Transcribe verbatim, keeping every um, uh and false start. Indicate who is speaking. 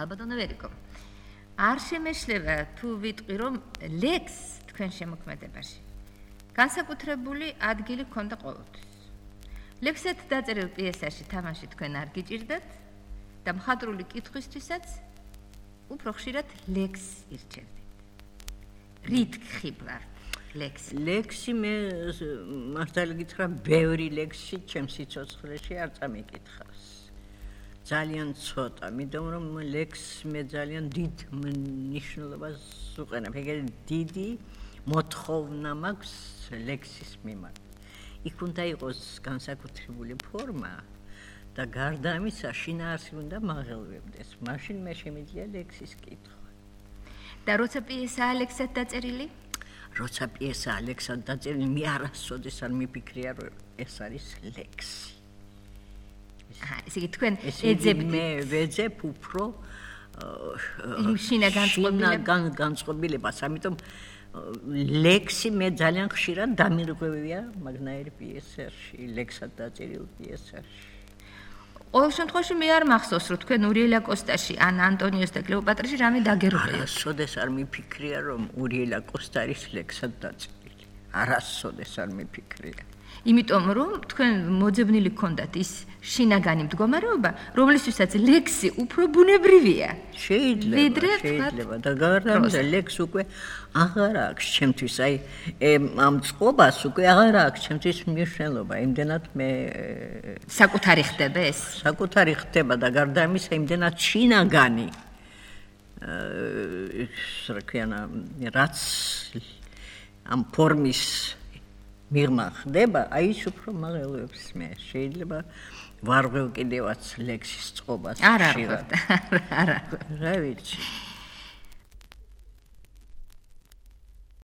Speaker 1: ალბათო ვერიკო. არ შემეშლება თუ ვიტყვი რომ ლექს თქვენ შემოქმედებაში განსაკუთრებული ადგილი ჰქონდა ყოველთვის. ლექსად დაწერილ პიესაში თამაში თქვენ არ გიჭირდათ და მხატვრული კითხვისთვისაც უფრო ხშირად ლექს ირჩევდით. რით ხიბლავთ ლექსი?
Speaker 2: ლექსი მე მართალი გითხრა, ბევრი ლექსი ჩემს სიცოცხლეში არ წამიკითხავს. ძალიან ცოტა, იმიტომ რომ ლექსს მე ძალიან დიდ მნიშვნელობას უყენებ. ეგრე დიდი მოთხოვნა მაქვს ლექსის მიმართ. იქ უნდა იყოს განსაკუთრებული ფორმა და გარდა ამისა შინაარსი უნდა მაღელვებდეს. მაშინ მე შემიძლია ლექსის კითხვა.
Speaker 1: და როცა პიესაა ლექსად დაწერილი?
Speaker 2: როცა პიესაა ლექსად დაწერილი, მე არასოდეს არ მიფიქრია რომ ეს არის ლექსი.
Speaker 1: აჰა, ესე იგი თქვენ ეძებთ
Speaker 2: მე ვეძებ უფრო
Speaker 1: შინაგან
Speaker 2: განწყობილებას, ამიტომ ლექსი მე ძალიან ხშირად დამირღვევია მაგნაირი პიესაში, ლექსად დაწერილ პიესაში.
Speaker 1: ყოველ შემთხვევაში მე არ მახსოვს, რომ თქვენ ურიელა კოსტაში ან ანტონიოს და კლეოპატრაში რამე დაგერღვეოთ.
Speaker 2: არასოდეს არ მიფიქრია, რომ ურიელა კოსტა არის ლექსად დაწერილი. არასოდეს არ მიფიქრია.
Speaker 1: იმიტომ რომ თქვენ მოძებნილი გქონდათ ის შინაგანი მდგომარეობა, რომლისთვისაც ლექსი უფრო ბუნებრივია.
Speaker 2: შეიძლება, შეიძლება და გარდა ამისა ლექსი უკვე აღარ აქვს ჩემთვის, აი ამ წყობას უკვე აღარ აქვს ჩემთვის მნიშვნელობა. იმდენად მე
Speaker 1: საკუთარი ხდება ეს?
Speaker 2: საკუთარი ხდება და გარდა ამისა იმდენად შინაგანი რა ქვია, რაც ამ ფორმის მიღმა ხდება, აი ის უფრო მაღელვებს მე. შეიძლება ვარღვევ კიდევაც ლექსის წყობას.
Speaker 1: არ არ, არ არ.
Speaker 2: რა ვიცი.